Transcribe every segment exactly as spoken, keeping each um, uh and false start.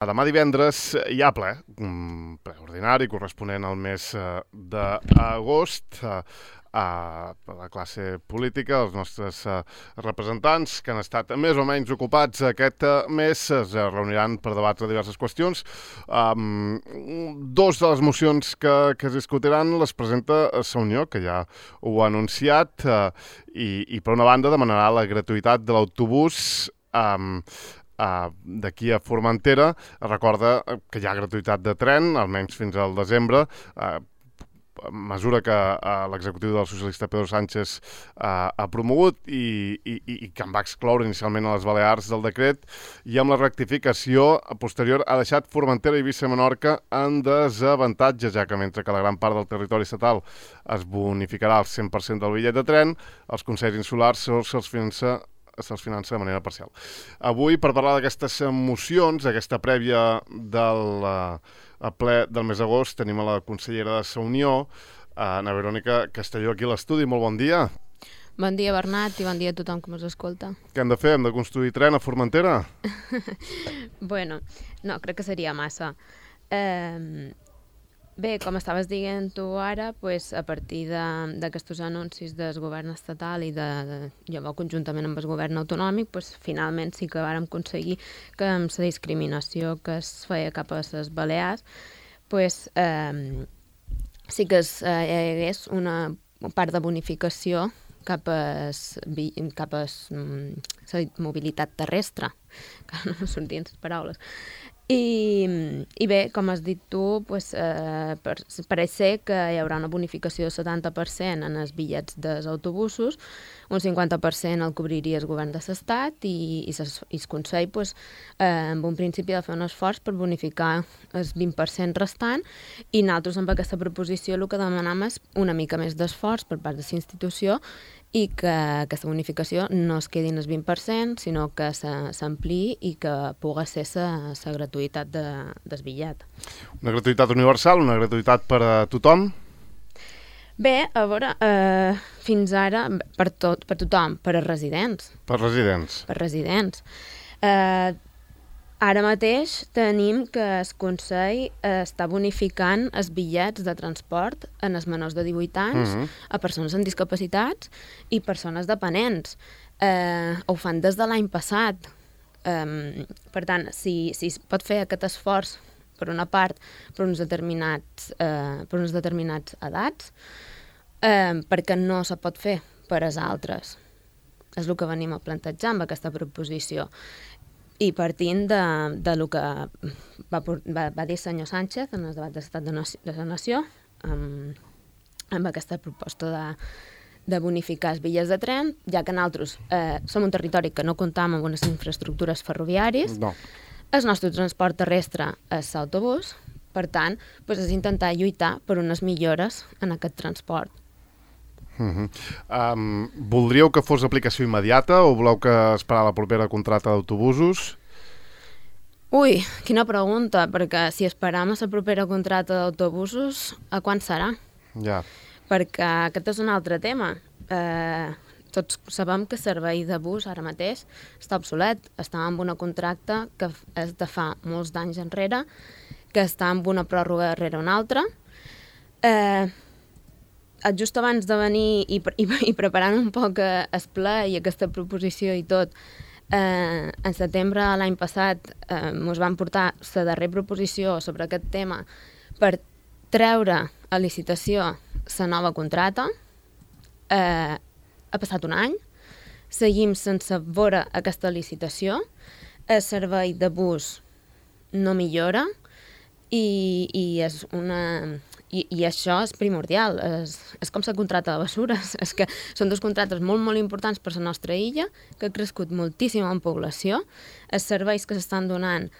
Demà divendres hi ha ple, un ple ordinari corresponent al mes d'agost. A la classe política, els nostres representants que han estat més o menys ocupats aquest mes es reuniran per debatre diverses qüestions. Um, dos de les mocions que, que es discutiran les presenta Sa Unió, que ja ho ha anunciat, uh, i, i per una banda demanarà la gratuïtat de l'autobús um, Uh, d'aquí a Formentera. Recorda que hi ha gratuïtat de tren, almenys fins al desembre, uh, mesura que uh, l'executiu del socialista Pedro Sánchez uh, ha promogut i, i, i que en va excloure inicialment a les Balears del decret, i amb la rectificació posterior ha deixat Formentera, Eivissa i Menorca en desavantatge, ja que mentre que la gran part del territori estatal es bonificarà al cent per cent del bitllet de tren, els consells insulars se'ls finança se'ls finança de manera parcial. Avui, per parlar d'aquestes mocions, aquesta prèvia del uh, ple del mes d'agost, tenim a la consellera de Sa Unió, uh, Ana Verònica Castelló, aquí a l'estudi. Molt bon dia. Bon dia, Bernat, i bon dia a tothom que ens escolta. Què hem de fer? Hem de construir tren a Formentera? Bueno, no, crec que seria massa. Eh... Bé, com estaves dient tu ara, pues, a partir d'aquests de, anuncis del govern estatal i de, de llavors conjuntament amb el govern autonòmic, pues, finalment sí que vàrem aconseguir que amb la discriminació que es feia cap a les Balears, pues, eh, sí que es, eh, hi hagués una part de bonificació cap a, cap a la mobilitat terrestre, que no em sortien les paraules. I, i bé, com has dit tu, pues, eh, per, pareix ser que hi haurà una bonificació del setanta per cent en els bitllets dels autobusos, un cinquanta per cent el cobriria el govern de l'Estat i, i, ses, i el Consell, pues, eh, en un principi ha de fer un esforç per bonificar el vint per cent restant, i nosaltres amb aquesta proposició el que demanam és una mica més d'esforç per part de la institució i que aquesta bonificació no es quedi en el vint per cent, sinó que s'ampliï i que pugui ser la gratuïtat de, del bitllet. Una gratuïtat universal, una gratuïtat per a tothom? Bé, a veure, eh, fins ara, per, tot, per tothom, per a residents. Per residents. Per residents. Eh, ara mateix tenim que el Consell està bonificant els bitllets de transport en els menors de divuit anys, uh-huh, a persones amb discapacitats i persones dependents. Eh, ho fan des de l'any passat. Eh, per tant, si, si es pot fer aquest esforç, per una part, per uns determinats, eh, per uns determinats edats, eh, perquè no se pot fer per als altres. És el que venim a plantejar amb aquesta proposició. I partint de, de lo que va, va, va dir el senyor Sánchez en el debat d'Estat de, de la Nació, amb, amb aquesta proposta de, de bonificar els bitllets de tren, ja que nosaltres eh, som un territori que no comptam amb unes infraestructures ferroviàries, no. El nostre transport terrestre és l'autobús, per tant, doncs és intentar lluitar per unes millores en aquest transport. Uh-huh. Um, voldríeu que fos aplicació immediata o voleu que esperar la propera contracta d'autobusos? Ui, quina pregunta, perquè si esperam a la propera contracta d'autobusos, a quan serà? Ja. Perquè aquest és un altre tema. Eh, tots sabem que el servei de bus ara mateix està obsolet. Està amb una contracta que és de fa molts d'anys enrere, que està amb una pròrroga darrere una altra. Eh, just abans de venir i, i, i preparant un poc el ple i aquesta proposició i tot, eh, en setembre de l'any passat eh, ens van portar la darrera proposició sobre aquest tema per treure a licitació la nova contracta. Eh, ha passat un any, seguim sense veure aquesta licitació, el servei de bus no millora i, i és una... I, i això és primordial, és, és com la contracta de bessures, és que són dos contractes molt, molt importants per la nostra illa, que ha crescut moltíssim en població, els serveis que s'estan donant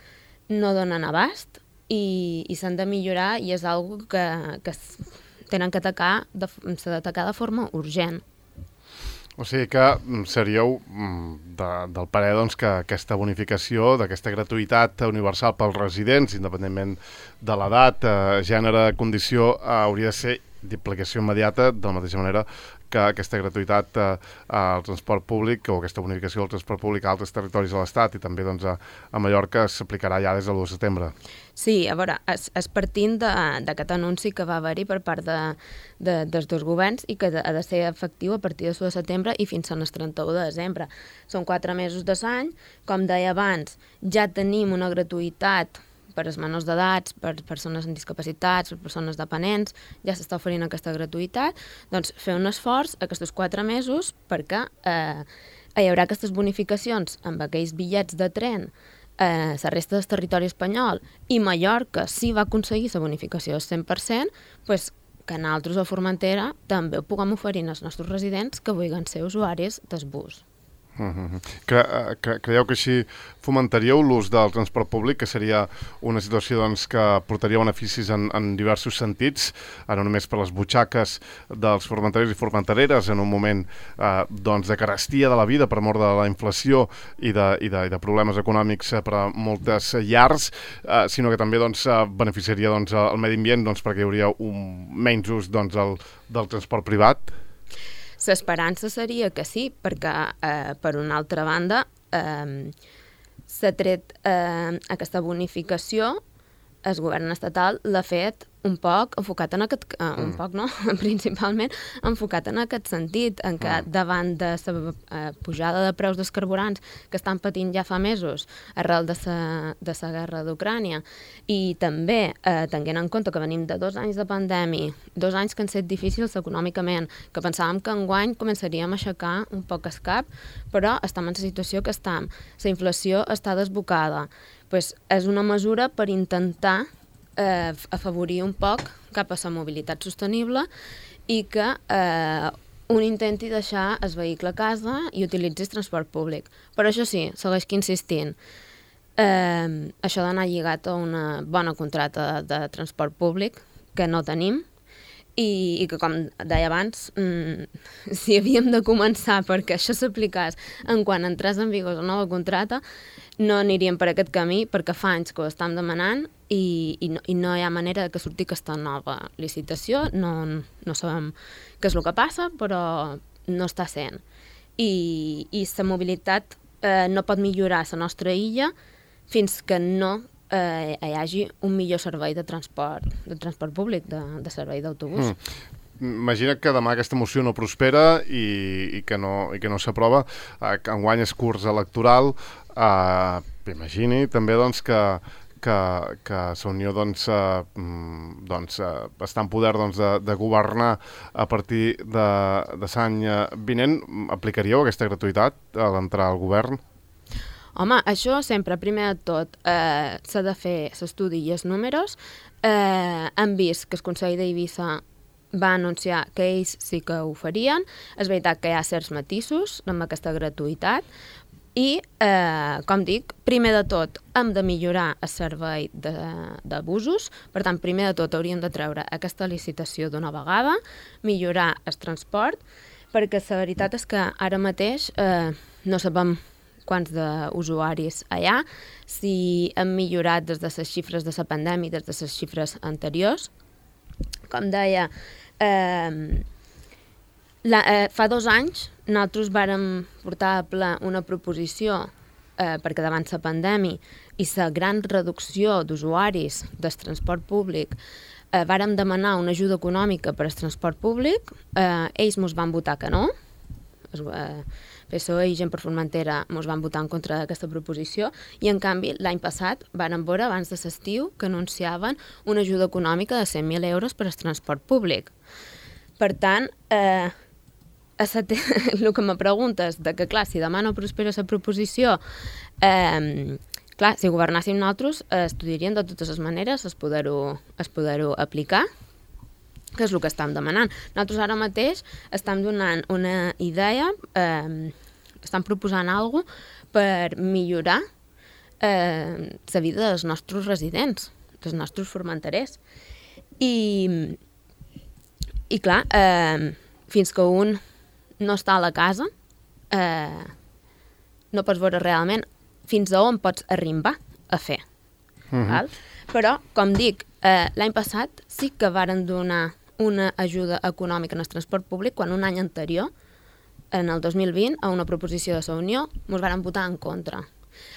no donen abast i, i s'han de millorar i és una cosa que, que tenen que atacar de, s'ha d'atacar de forma urgent. O sigui que seríeu de, del parer doncs, que aquesta bonificació, d'aquesta gratuïtat universal pels residents, independentment de l'edat, eh, gènere, condició, eh, hauria de ser d'aplicació immediata, de la mateixa manera que aquesta gratuïtat eh, al transport públic o aquesta bonificació del transport públic a altres territoris de l'Estat i també doncs, a, a Mallorca s'aplicarà ja des de l'u de setembre. Sí, a veure, és, és partint d'aquest anunci que va haver-hi per part de, de, dels dos governs i que ha de ser efectiu a partir de l'u de setembre i fins al trenta-u de desembre. Són quatre mesos de l'any, com deia abans, ja tenim una gratuïtat per als menors d'edats, per persones amb discapacitats, per persones dependents, ja s'està oferint aquesta gratuïtat, doncs fer un esforç aquests quatre mesos perquè eh, hi haurà aquestes bonificacions amb aquells bitllets de tren eh, la resta del territori espanyol i Mallorca sí va aconseguir la bonificació del cent per cent, doncs que nosaltres a Formentera també ho puguem oferir als nostres residents que vulguin ser usuaris del bus. Uh-huh. Cre cre Creieu que així fomentaríeu l'ús del transport públic, que seria una situació doncs, que portaria beneficis en, en diversos sentits, no només per les butxaques dels formenterers i formentereres en un moment eh, doncs, de carestia de la vida per mort de la inflació i de, i de, i de problemes econòmics per a moltes llars, eh, sinó que també doncs, beneficiaria doncs, el medi ambient doncs, perquè hi hauria un menys ús doncs, el, del transport privat? L'esperança seria que sí, perquè, eh, per una altra banda, eh, s'ha tret eh, aquesta bonificació, el govern estatal l'ha fet un poc enfocat en aquest... Eh, un poc, no? Principalment enfocat en aquest sentit, en què davant de la eh, pujada de preus dels carburants que estan patint ja fa mesos arrel de la de la guerra d'Ucrània i també eh, tenint en compte que venim de dos anys de pandèmia, dos anys que han estat difícils econòmicament, que pensàvem que enguany començaríem a aixecar un poc el cap, però estem en la situació que estem. La inflació està desbocada. Pues és una mesura per intentar eh, afavorir un poc cap a la mobilitat sostenible i que eh, un intenti deixar el vehicle a casa i utilitzi el transport públic. Però això sí, segueix insistint. Eh, això d'anar lligat a una bona contracta de, de transport públic, que no tenim, i, i que, com deia abans, mmm, si havíem de començar perquè això s'aplicés en quan entrés en vigor la nova contracta, no aniríem per aquest camí perquè fa anys que ho estem demanant i, i, no, i no hi ha manera que surti aquesta nova licitació. No, no sabem què és el que passa, però no està sent. I, i la mobilitat eh, no pot millorar la nostra illa fins que no eh, hi hagi un millor servei de transport, de transport públic, de, de servei d'autobús. Mm. Imagina que demà aquesta moció no prospera i, i que no, i que no s'aprova, eh, que enguany és curs electoral. Eh, imagini també doncs, que, que, que la Unió doncs, eh, doncs, eh, està en poder doncs, de, de governar a partir de, de l'any vinent. Aplicaríeu aquesta gratuïtat a l'entrar al govern? Home, això sempre, primer de tot, eh, s'ha de fer l'estudi i els números. Eh, hem vist que el Consell d'Eivissa va anunciar que ells sí que ho farien. És veritat que hi ha certs matisos amb aquesta gratuïtat i, eh, com dic, primer de tot hem de millorar el servei de, de busos. Per tant, primer de tot hauríem de treure aquesta licitació d'una vegada, millorar el transport, perquè la veritat és que ara mateix eh, no sabem quants d'usuaris hi ha, si han millorat des de les xifres de la pandèmia, des de les xifres anteriors. Com deia, eh, la, eh, fa dos anys nosaltres vàrem portar a ple una proposició eh, perquè davant la pandèmia i la gran reducció d'usuaris del transport públic eh, vàrem demanar una ajuda econòmica per al transport públic. Eh, ells mos van votar que no. Es, eh, P S O E i Gent per Formentera mos van votar en contra d'aquesta proposició i, en canvi, l'any passat vàrem veure, abans de l'estiu, que anunciaven una ajuda econòmica de cent mil euros per al transport públic. Per tant, eh, el que me preguntes de que, clar, si demà no prospera la proposició, eh, clar, si governàssim nosaltres, eh, estudiarien de totes les maneres es poder-ho poder aplicar, que és el que estem demanant. Nosaltres ara mateix estem donant una idea, eh, estem proposant alguna cosa per millorar eh, la vida dels nostres residents, dels nostres formenterers. I, i clar, eh, fins que un no està a la casa, eh, no pots veure realment fins a on pots arribar a fer. Uh-huh. Val? Però, com dic, eh, l'any passat sí que varen donar una ajuda econòmica en el transport públic quan un any anterior, en el dos mil vint, a una proposició de la Unió, ens van votar en contra.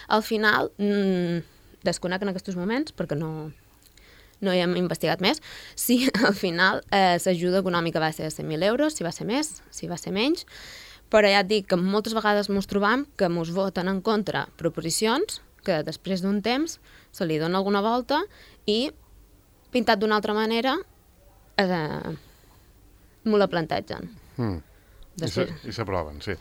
Al final, mmm, desconec en aquests moments, perquè no, no hi hem investigat més, si al final eh, l'ajuda econòmica va ser de cent mil euros, si va ser més, si va ser menys, però ja et dic que moltes vegades ens trobam que ens voten en contra proposicions que després d'un temps se li dona alguna volta i, pintat d'una altra manera, eh, m'ho la plantegen. Mm. I s'aproven, sí.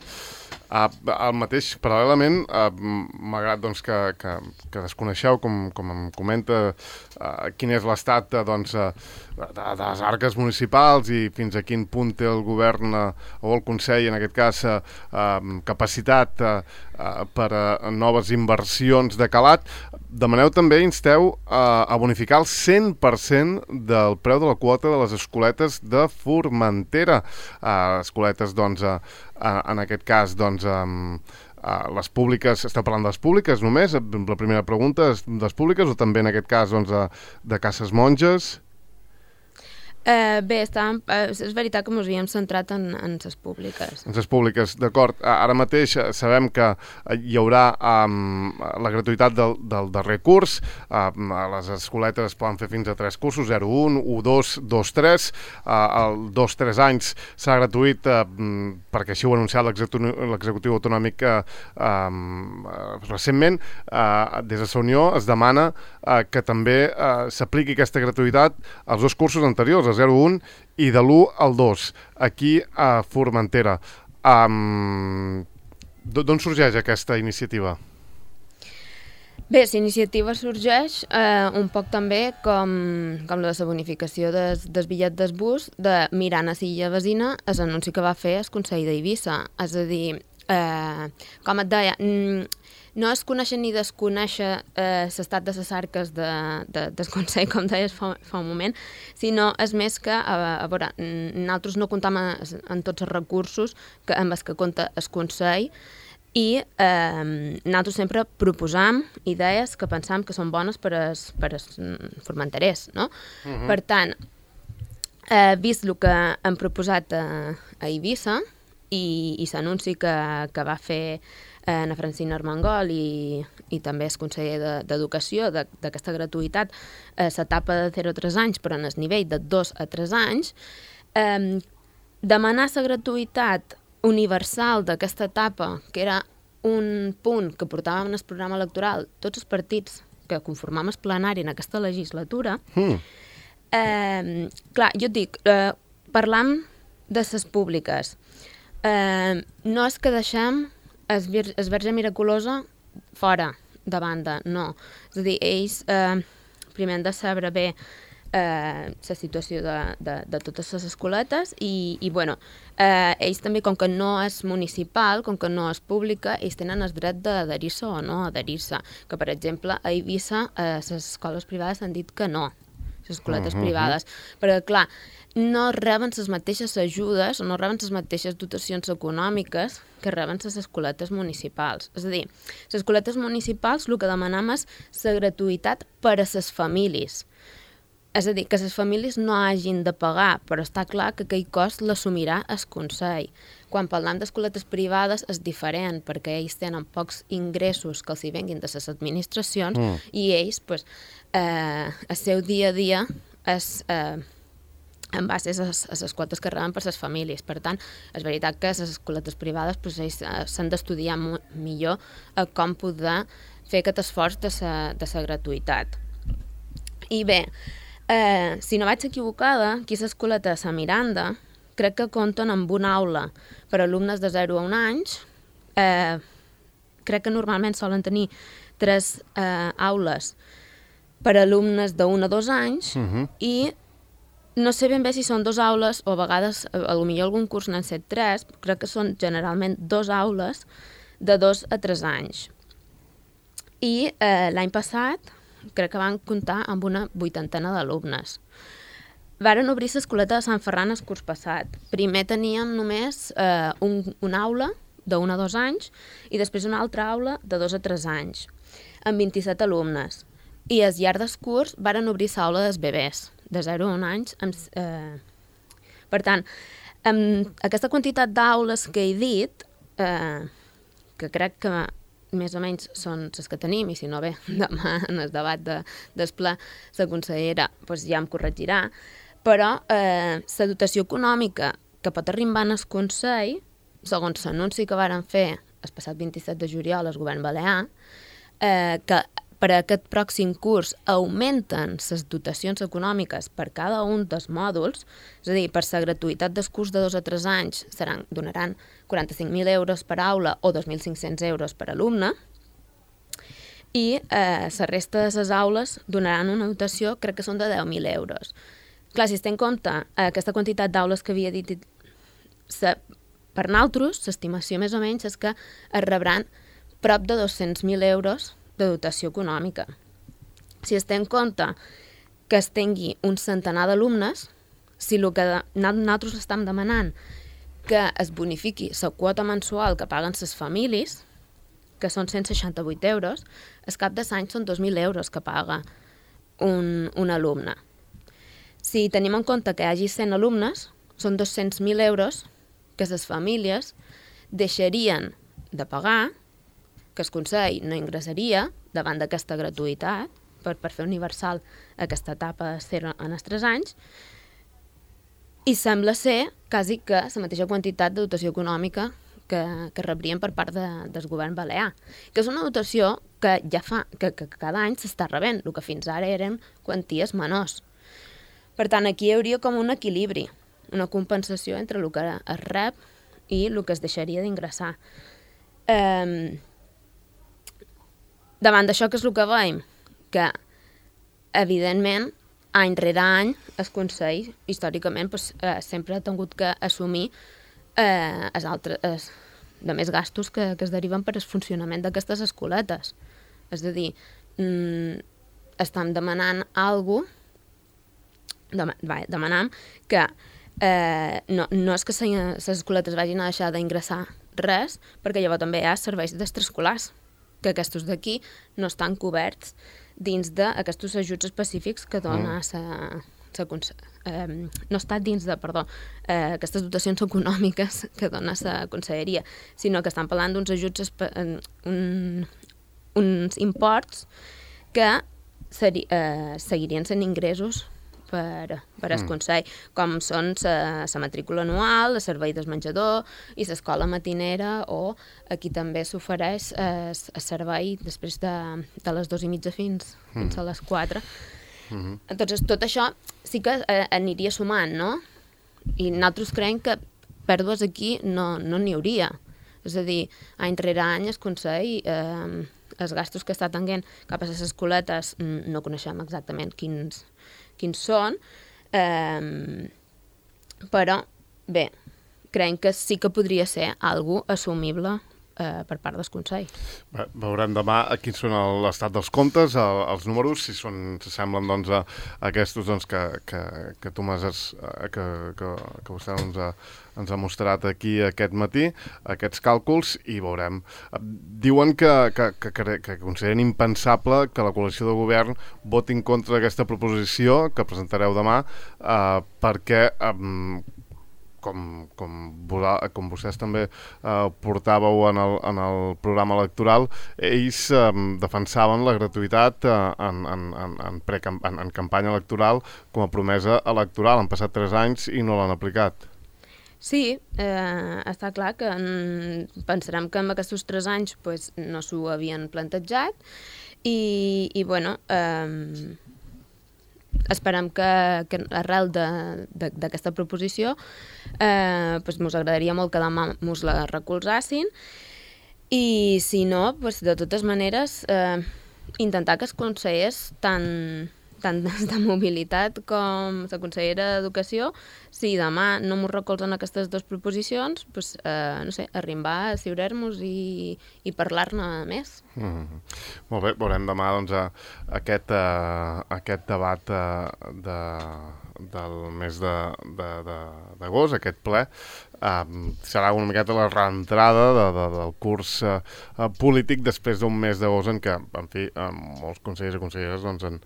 Uh, el mateix, paral·lelament, uh, m'agrada doncs, que, que, que desconeixeu, com, com em comenta, uh, quin és l'estat uh, doncs, uh, de, de les arques municipals i fins a quin punt té el govern uh, o el Consell, en aquest cas, uh, uh, capacitat uh, uh, per a noves inversions de calat. Demaneu també, insteu uh, a bonificar el cent per cent del preu de la quota de les escoletes de Formentera. Uh, escoletes, doncs, uh, uh, en aquest cas, doncs, um, uh, les públiques, esteu parlant de les públiques només? La primera pregunta és de les públiques o també en aquest cas doncs, uh, de cases monges? Eh, bé, estàvem, eh, és veritat que ens havíem centrat en, en les públiques. En les públiques, d'acord. Ara mateix sabem que hi haurà um, la gratuïtat del, del darrer curs. Um, les escoletes es poden fer fins a tres cursos, zero un, u dos, dos tres. Uh, el dos tres anys serà gratuït uh, perquè així ho ha anunciat l'executiu autonòmic uh, um, recentment. Uh, des de la Unió es demana uh, que també uh, s'apliqui aquesta gratuïtat als dos cursos anteriors, zero un i de l'u al dos, aquí a Formentera. Um, D'on sorgeix aquesta iniciativa? Bé, la iniciativa sorgeix eh, un poc també com, com la de la bonificació des, del bitllet del bus de mirant a l'illa vecina l'anunci que va fer el Consell d'Eivissa. És a dir, eh, com et deia, no es conèixer ni desconèixer eh, l'estat de les arques de, de, del Consell, com deies fa, fa un moment, sinó és més que, a, a veure, nosaltres no comptam en tots els recursos que, amb els que compta el Consell i eh, nosaltres sempre proposam idees que pensam que són bones per als, per als formenterers, no? Uh-huh. Per tant, eh, vist el que hem proposat a, a Eivissa i, i l'anunci que, que va fer eh, na Francina Armengol i, i també el conseller d'Educació de, d'aquesta gratuïtat, eh, l'etapa de zero a tres anys, però en el nivell de dos a tres anys, eh, demanar la gratuïtat universal d'aquesta etapa, que era un punt que portàvem en el programa electoral tots els partits que conformam el plenari en aquesta legislatura, mm. eh, clar, jo et dic, eh, parlam de les públiques. Eh, no és que deixem es, vir es Verge Miraculosa fora, de banda, no. És a dir, ells eh, primer han de saber bé eh, la situació de, de, de totes les escoletes i, i bueno, eh, ells també, com que no és municipal, com que no és pública, ells tenen el dret d'adherir-se o no adherir-se. Que, per exemple, a Eivissa eh, les escoles privades han dit que no, les escoletes uh -huh. privades, perquè, clar, no reben les mateixes ajudes o no reben les mateixes dotacions econòmiques que reben les escoletes municipals. És a dir, les escoletes municipals el que demanem és la gratuïtat per a les famílies. És a dir, que les famílies no hagin de pagar, però està clar que aquell cost l'assumirà el Consell. Quan parlem d'escoletes privades és diferent, perquè ells tenen pocs ingressos que els hi venguin de les administracions mm. i ells, pues, eh, el seu dia a dia és eh, en base a les, a les quotes que reben per les famílies. Per tant, és veritat que les escoletes privades pues, ells eh, s'han d'estudiar millor eh, com poder fer aquest esforç de la de la gratuïtat. I bé, eh, si no vaig equivocada, aquí a l'escoleta de Sant Miranda crec que compten amb una aula per a alumnes de zero a un anys. Eh, crec que normalment solen tenir tres eh, aules per a alumnes d'un a dos anys uh-huh. i no sé ben bé si són dos aules o a vegades, a lo millor algun curs n'han set tres, crec que són generalment dos aules de dos a tres anys. I eh, l'any passat crec que van comptar amb una vuitantena d'alumnes. Varen obrir l'escoleta de Sant Ferran el curs passat. Primer teníem només eh, un, una aula d'un a dos anys i després una altra aula de dos a tres anys, amb vint-i-set alumnes. I al llarg del curs varen obrir l'aula dels bebès, de zero a un anys, amb, eh, Per tant, amb aquesta quantitat d'aules que he dit, eh, que crec que més o menys són les que tenim, i si no bé, demà en el debat de, del ple, la consellera doncs ja em corregirà, però eh, la dotació econòmica que pot arribar en el Consell, segons l'anunci que varen fer el passat vint-i-set de juliol al govern balear, eh, que per a aquest pròxim curs augmenten les dotacions econòmiques per cada un dels mòduls, és a dir, per la gratuïtat del curs de dos a tres anys seran, donaran quaranta-cinc mil euros per aula o dos mil cinc-cents euros per alumne, i eh, la resta de les aules donaran una dotació, crec que són de deu mil euros. Clar, si es té en compte eh, aquesta quantitat d'aules que havia dit, sa, per nosaltres, l'estimació més o menys és que es rebran prop de dos-cents mil euros de dotació econòmica. Si es té en compte que es tingui un centenar d'alumnes, si el que nosaltres estem demanant que es bonifiqui la quota mensual que paguen les famílies, que són cent seixanta-vuit euros, al cap de l'any són dos mil euros que paga un, un alumne. Si tenim en compte que hi hagi cent alumnes, són dos-cents mil euros que les famílies deixarien de pagar, que el Consell no ingressaria davant d'aquesta gratuïtat per, per fer universal aquesta etapa de zero en els tres anys, i sembla ser quasi que la mateixa quantitat de dotació econòmica que, que rebrien per part de, del govern balear, que és una dotació que ja fa que, que cada any s'està rebent, el que fins ara eren quanties menors. Per tant, aquí hi hauria com un equilibri, una compensació entre el que es rep i el que es deixaria d'ingressar. Eh, davant d'això, què és el que veiem? Que, evidentment, any rere any, el Consell, històricament, pues, eh, sempre ha tingut que assumir eh, els altres, els, de més gastos que, que es deriven per al funcionament d'aquestes escoletes. És a dir, mm, estem demanant alguna cosa, dem demanam que eh, no, no és que les escoletes vagin a deixar d'ingressar res, perquè llavors també hi ha serveis d'extraescolars, que aquests d'aquí no estan coberts dins d'aquests ajuts específics que dona mm. sa, sa, eh, no està dins de, perdó, eh, aquestes dotacions econòmiques que dona la conselleria, sinó que estan parlant d'uns ajuts, un, uns imports que seri, eh, seguirien sent ingressos per, per al Consell, com són la matrícula anual, el servei del menjador i l'escola matinera, o aquí també s'ofereix el servei després de, de les dues i mitja fins, mm. fins a les quatre. Mm-hmm. Entonces, tot això sí que eh, aniria sumant, no? I nosaltres creiem que pèrdues aquí no n'hi no hauria. És a dir, any rere any el Consell, eh, els gastos que està tenint cap a les escoletes, no coneixem exactament quins quins són, eh, però bé, creiem que sí que podria ser algo assumible eh, per part del Consell. Bé, veurem demà quins són l'estat dels comptes, el, els números, si són, si semblen doncs, a, a aquests doncs, que, que, que tu m'has, que, que, que vostè doncs, a, ens ha mostrat aquí aquest matí, aquests càlculs, i veurem. Diuen que, que, que, que consideren impensable que la coalició de govern voti en contra d'aquesta proposició que presentareu demà, eh, perquè eh, com, com, com vostès també eh, portàveu en el, en el programa electoral, ells eh, defensaven la gratuïtat eh, en, en, en, en, en, en campanya electoral com a promesa electoral. Han passat tres anys i no l'han aplicat. Sí, eh, està clar que mm, pensarem que en aquests tres anys pues, no s'ho havien plantejat i, i bueno, eh, esperem que, que arrel d'aquesta proposició eh, pues, mos agradaria molt que demà mos la recolzassin i si no, pues, de totes maneres eh, intentar que els consellers tant tant de mobilitat com la consellera d'Educació, si demà no m'ho recolzen aquestes dues proposicions, pues, eh, no sé, arribar a ciurar-nos i, i parlar-ne més. Mm. Molt bé, veurem demà doncs, aquest, uh, aquest debat uh, de, del mes d'agost, aquest ple. Uh, serà una miqueta la reentrada de, de, del curs uh, polític després d'un mes d'agost en què, en fi, uh, molts consellers i conselleres doncs, han,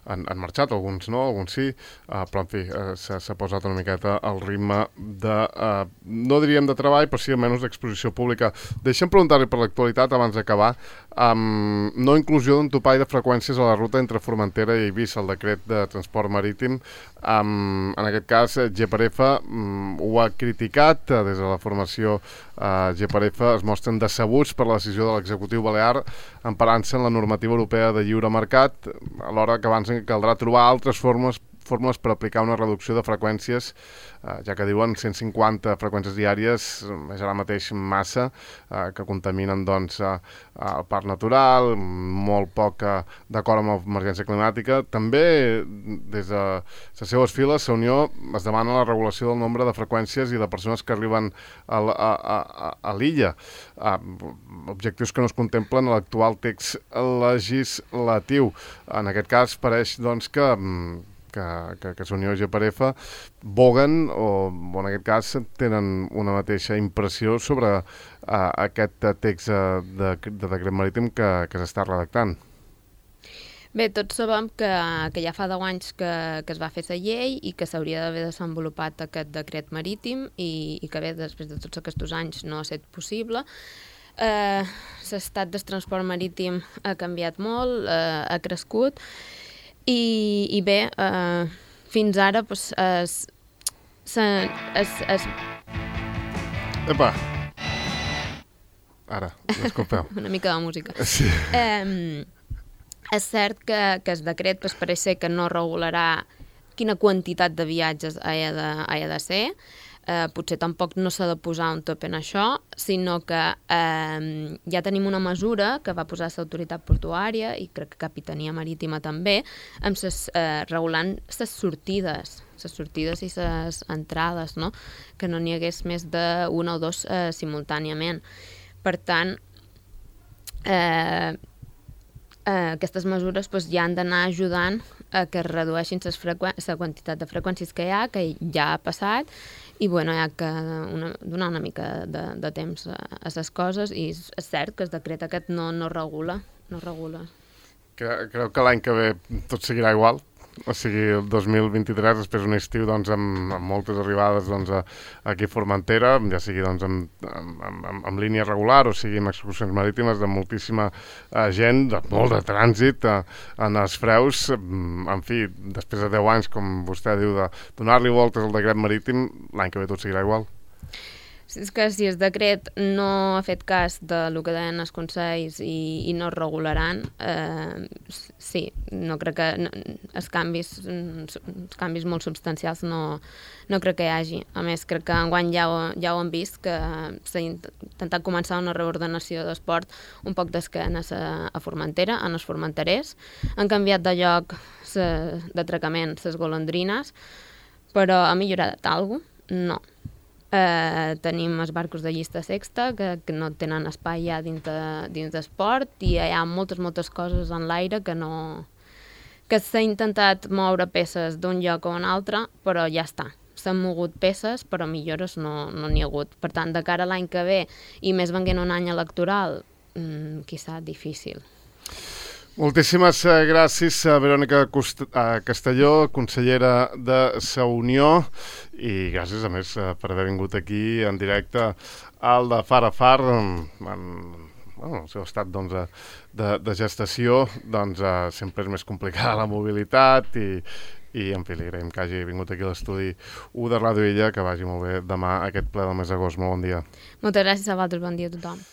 han, han marxat, alguns no, alguns sí, uh, però en fi, uh, s'ha posat una miqueta el ritme de, uh, no diríem de treball, però sí almenys d'exposició pública. Deixa'm preguntar-li per l'actualitat abans d'acabar. Um, no inclusió d'un topall de freqüències a la ruta entre Formentera i Eivissa, el decret de transport marítim. Um, en aquest cas, G per F um, ho ha criticat. Des de la formació uh, G per F es mostren decebuts per la decisió de l'executiu balear emparant-se en la normativa europea de lliure mercat, alhora que avancen que caldrà trobar altres formes fórmules per aplicar una reducció de freqüències, eh, ja que diuen cent cinquanta freqüències diàries és ara mateix massa, eh, que contaminen doncs, eh, el parc natural, molt poc eh, d'acord amb l'emergència climàtica. També des de les seues files, la Unió es demana la regulació del nombre de freqüències i de persones que arriben a, a, a, a l'illa. Eh, objectius que no es contemplen a l'actual text legislatiu. En aquest cas pareix doncs, que que, que, que Unió i G per F boguen o, o en aquest cas tenen una mateixa impressió sobre uh, aquest text uh, de, de decret marítim que, que s'està redactant. Bé, tots sabem que, que ja fa deu anys que, que es va fer la llei i que s'hauria d'haver desenvolupat aquest decret marítim i, i que bé, després de tots aquests anys no ha estat possible. Eh, l'estat del transport marítim ha canviat molt, eh, ha crescut. I, i bé, uh, fins ara pues, es, se, es, es... Epa! Ara, disculpeu. Una mica de música. Sí. Um, és cert que, que el decret pues, pareix ser que no regularà quina quantitat de viatges ha de, ha de ser. Eh, potser tampoc no s'ha de posar un top en això, sinó que eh, ja tenim una mesura que va posar l'autoritat portuària i crec que Capitania Marítima també, amb ses, eh, regulant les sortides, les sortides i les entrades, no? Que no n'hi hagués més d'una o dos eh, simultàniament. Per tant, eh, eh, aquestes mesures pues, ja han d'anar ajudant a que es redueixin la quantitat de freqüències que hi ha, que ja ha passat, i bueno, hi ha que una, donar una mica de, de temps a, a les coses, i és, és cert que el decret aquest no, no regula, no regula. Creu, creu que l'any que ve tot seguirà igual? O sigui, el dos mil vint-i-tres, després d'un estiu doncs, amb, amb moltes arribades doncs, a, aquí a Formentera, ja sigui doncs, amb, amb, amb, amb línia regular o sigui amb excursions marítimes, de moltíssima uh, gent, de molt de trànsit uh, en els freus. En fi, després de deu anys, com vostè diu, de donar-li voltes al decret marítim, l'any que ve tot seguirà igual. És que si el decret no ha fet cas del que deien els consells i, i no es regularan, eh, sí, no crec que no, els, canvis, els canvis molt substancials no, no crec que hi hagi. A més, crec que enguany ja ho, ja ho hem vist, que s'ha intentat començar una reordenació d'esport un poc d'esquenes a, a Formentera, en els formenterers. Han canviat de lloc d'atracament les golondrines, però ha millorat alguna cosa? No. Eh, tenim els barcos de llista sexta que, que no tenen espai ja dins, de, dins d'esport, i hi ha moltes, moltes coses en l'aire que no... que s'ha intentat moure peces d'un lloc a un altre, però ja està. S'han mogut peces, però millores no n'hi no ha hagut. Per tant, de cara a l'any que ve, i més venint un any electoral, mmm, quizà difícil. Moltíssimes gràcies a Verònica Castelló, consellera de la Unió, i gràcies a més per haver vingut aquí en directe al de Far a Far, en, en bueno, el seu estat doncs, de, de gestació. Doncs, sempre és més complicada la mobilitat i, i en fi, li agraïm que hagi vingut aquí a l'estudi u de Ràdio Illa, que vagi molt bé demà aquest ple del mes d'agost. Molt bon dia. Moltes gràcies a vosaltres, bon dia a tothom.